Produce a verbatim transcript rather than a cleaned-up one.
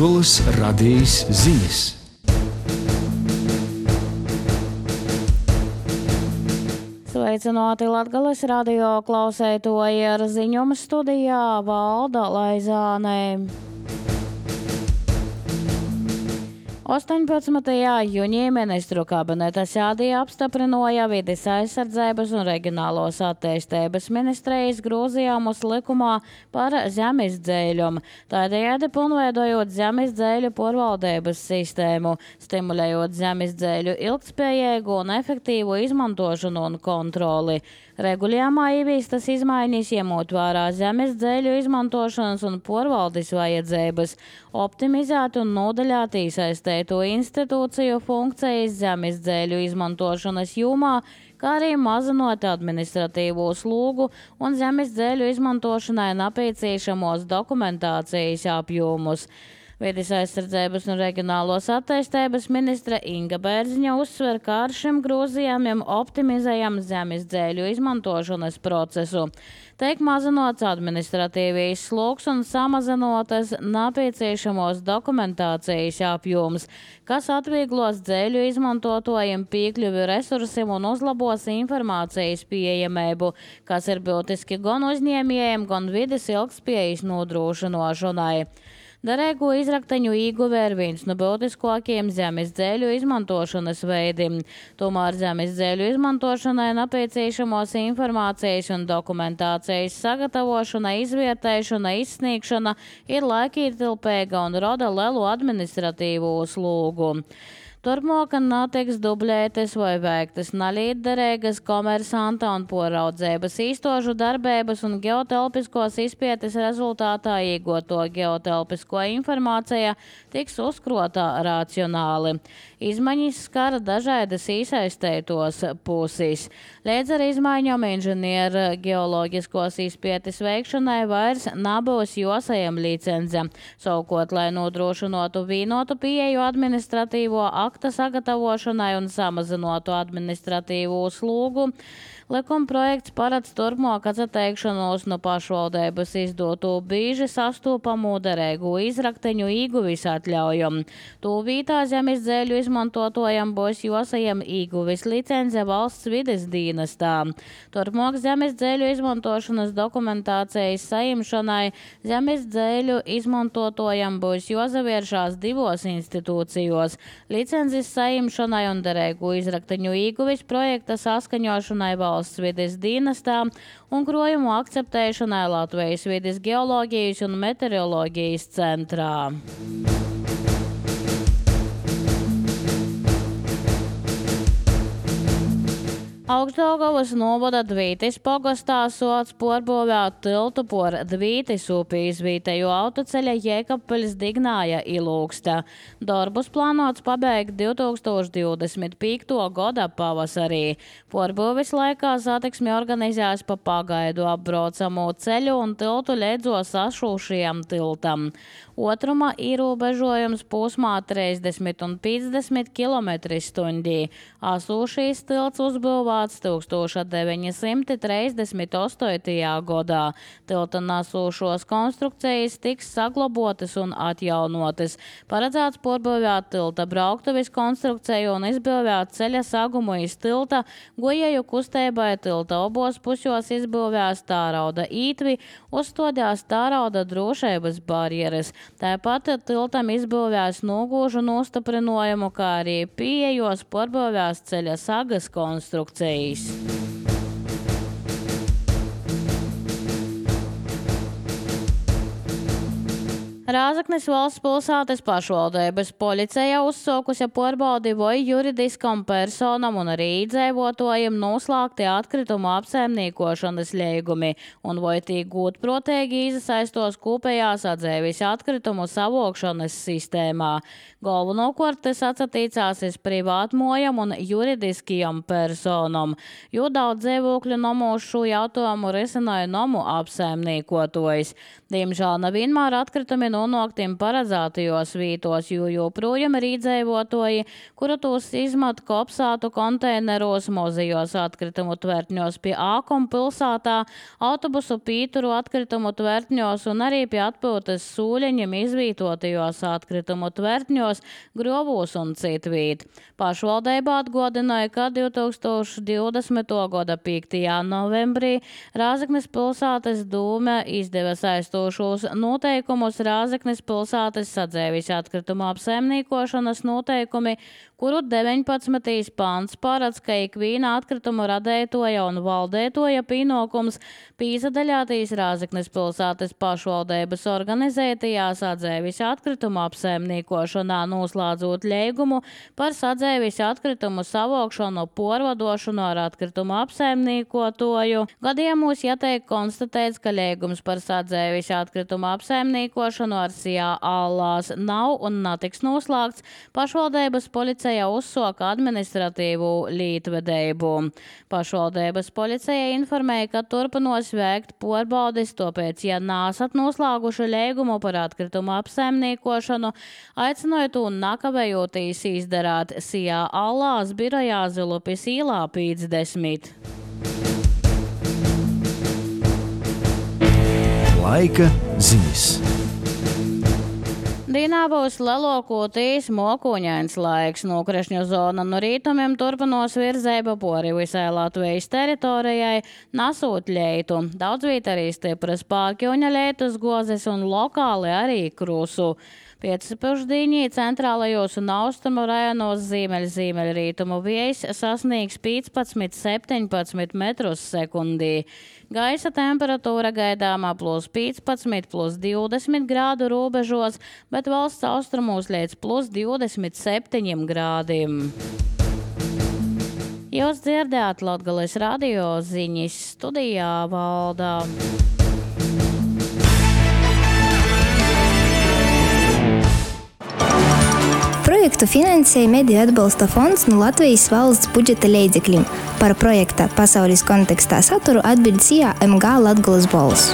Latgolas radijas ziņas. Sveicināti Latgolas radio klausētoji, ar ziņojumu studijā Valda Laizāne. astoņpadsmitajā jūnijā ministru kabineta sēdī apstiprināja vides aizsardzības un reģionālos attīstības ministrijas grozījumus likumā par zemes dzēļumu, tādējādi pilnveidojot zemes dzēļu pārvaldības sistēmu, stimulējot zemes dzēļu ilgtspējīgu un efektīvu izmantošanu un kontroli. Regulējumā ieviestas izmaiņas, ņemot vērā zemes dzēļu izmantošanas un pārvaldes vajadzības, optimizēt un nodaļāt iesaistēto institūciju funkcijas zemes dzēļu izmantošanas jomā, kā arī mazinot administratīvo slogu un zemes dzēļu izmantošanai nepieciešamos dokumentācijas apjomus. Vides aizsardzības un reģionālos attīstības ministre Inga Bērziņa uzsver, ka ar šiem grozījumiem optimizējam zemes dzēļu izmantošanas procesu. Tiek mazinots administratīvijas sloks un samazinotas nepieciešamos dokumentācijas apjoms, kas atvieglos dzēļu izmantotojiem piekļuvi resursiem un uzlabos informācijas pieejamību, kas ir būtiski gan uzņēmējiem, gan vides ilgtspējas nodrošināšanai. Derīgo izrakteņu ieguve ir viens no būtiskākajiem zemes dzēļu izmantošanas veidiem. Tomēr zemes dzēļu izmantošanai nepieciešamos informācijas un dokumentācijas sagatavošana, izvietēšana, izsniegšana ir laikietilpīga un roda lielu administratīvo slogu. Turpmāk netiks dublētas vai veiktas nelietderīgas komersanta un poraudzības īstožu darbības un geotelpiskos izpētes rezultātā iegūto geotelpisko informācija tiks uzkrotā racionāli. Izmaiņas skara dažādas iesaistētos puses. Līdz ar izmaiņām inženieru geoloģiskos izpētes veikšanai vairs nebūs jāsaņem licence. Savukārt, lai nodrošinātu vienotu pieeju administratīvo akta sagatavošanai un samazinātu administratīvo slogu, likuma projekts paredz turpmāk atteikšanos no pašvaldības izdoto bieži sastopamo derīgo izrakteņu ieguves atļaujumu. To vietā zemes dzēļu izmantotājiem būs jāsaņem ieguves licence valsts vides dienestā. Turpmāk zemes dzēļu izmantošanas dokumentācijas saņemšanai zemes dzēļu izmantotājiem būs jāsavēršās divos institūcijos - licences saņemšanai un derīgo izrakteņu ieguves projekta saskaņošanai valsts vides dienestā un krojumu akceptēšanai Latvijas vides geoloģijas un meteoroloģijas centrā. Augstdaugavas novada Dvītis pogastā sots pārbūvēt tiltu por Dvītis upi izvītēju autoceļa Jēkabpeļs Dignāja Ilūksta. Darbus plānots pabeigt divtūkstoš divdesmit piekto gada pavasarī. Pārbūves laikā satiksmi organizēs pa pagaidu apbraucamo ceļu un tiltu leidzos sašūšajam tiltam. Otruma ierobežojums posmā trīsdesmit un piecdesmit kilometri stundī. Asūšīs tilts uzbūvēts tūkstoš deviņi simti trīsdesmit astotajā gadā. Tilta nasūšos konstrukcijas tiks saglabotas un atjaunotas. Paredzēts pārbūvēt tilta brauktuves konstrukciju un izbūvēt ceļa sagumu iz tilta, gojēju kustēbai tilta obos pusjos izbūvēs tārauda ītvi, uzstādās tārauda drošības barjeras. Tāpat tiltam izbūvēs nogūžu nostiprinājumu, kā arī pieejos pārbūvēs ceļa sagas konstrukcijas. Rāzaknis valsts pilsētas pašvaldības policija uzsākusi pārbaudi, vai juridiskam personam un arī iedzīvotājiem noslēgti atkritumu apsaimniekošanas līgumi un vai tie gūtprātīgi iesaistos kopējās atzīves atkritumu savokšanas sistēmā. Galvenokārt tas attiecās uz privātmojam un juridiskajam personam, jo daudz dzīvokļu nomos šo jautājumu risināja nomu apsaimniekotājs. Diemžēl nevienmēr atkritumi no nonoktim paredzētajos vītos, jo joprojām ir iedzīvotoji, kuru tos izmat kopsātu konteineros, mozijos atkritumu tvertņos pie Ākuma pilsātā, autobusu pīturu atkritumu tvertņos un arī pie atpūtas sūļeņiem izvītotajos atkritumu tvertņos, grobūs un citvīt. Pašvaldība atgādināja, ka divi tūkstoši divdesmitā gada piektajā novembrī Rāzaknes pilsētas dūme izdeva saistošos noteikumus Rāzaknes pilsētas sadzēvis atkritumu apsaimniekošanas noteikumi, kuru deviņpadsmitais pants paredz, ka ikviena atkritumu radētoja un valdētoja pienākums pīsadaļātīs Rāzaknes pilsētas pašvaldības organizētajā sadzēvis atkritumu apsaimniekošanā, noslēdzot līgumu par sadzēvis atkritumu savokšanu, porvadošanu ar atkritumu apsaimniekotoju. Gadījumos jātiek konstatēts, ka līgums par sadzēvis atkritumu apsaimniekošanu ar sijā allās nav un netiks noslēgts, pašvaldības policija uzsoka administratīvu lītvedību. Pašvaldības policija informēja, ka turpinos veikt porbaudis, tāpēc, ja nāsat noslēguši līgumu par atkritumu apsaimniekošanu, aicinot un nakavējoties izdarāt sijā allās birojā Zilupis īlā piecdesmit. Laika ziņas. Dienā būs lielākoties mokuņains laiks. Nokrišņu zona no rītumiem turpinos virzēba pori visai Latvijas teritorijai, nasot leitu. Daudzviet arī stipras pārkļuņa leitus gozes un lokāli arī krusu. Pēcpusdienī centrālajos un austrumu rajonos ziemeļ-ziemeļrītumu vējs sasniegs piecpadsmit septiņpadsmit metrus sekundī. Gaisa temperatūra gaidāmā plus piecpadsmit, plus divdesmit grādu robežos, bet valsts austrumos līdz plus divdesmit septiņiem grādiem. Jūs dzirdējāt Latgales radio ziņas, studijā Valdā. Projektu finansēja Mediju atbalsta fonds no Latvijas valsts budžeta līdzekļiem. Par projekta pasaules kontekstā saturu atbild sijā M G Latgales balss.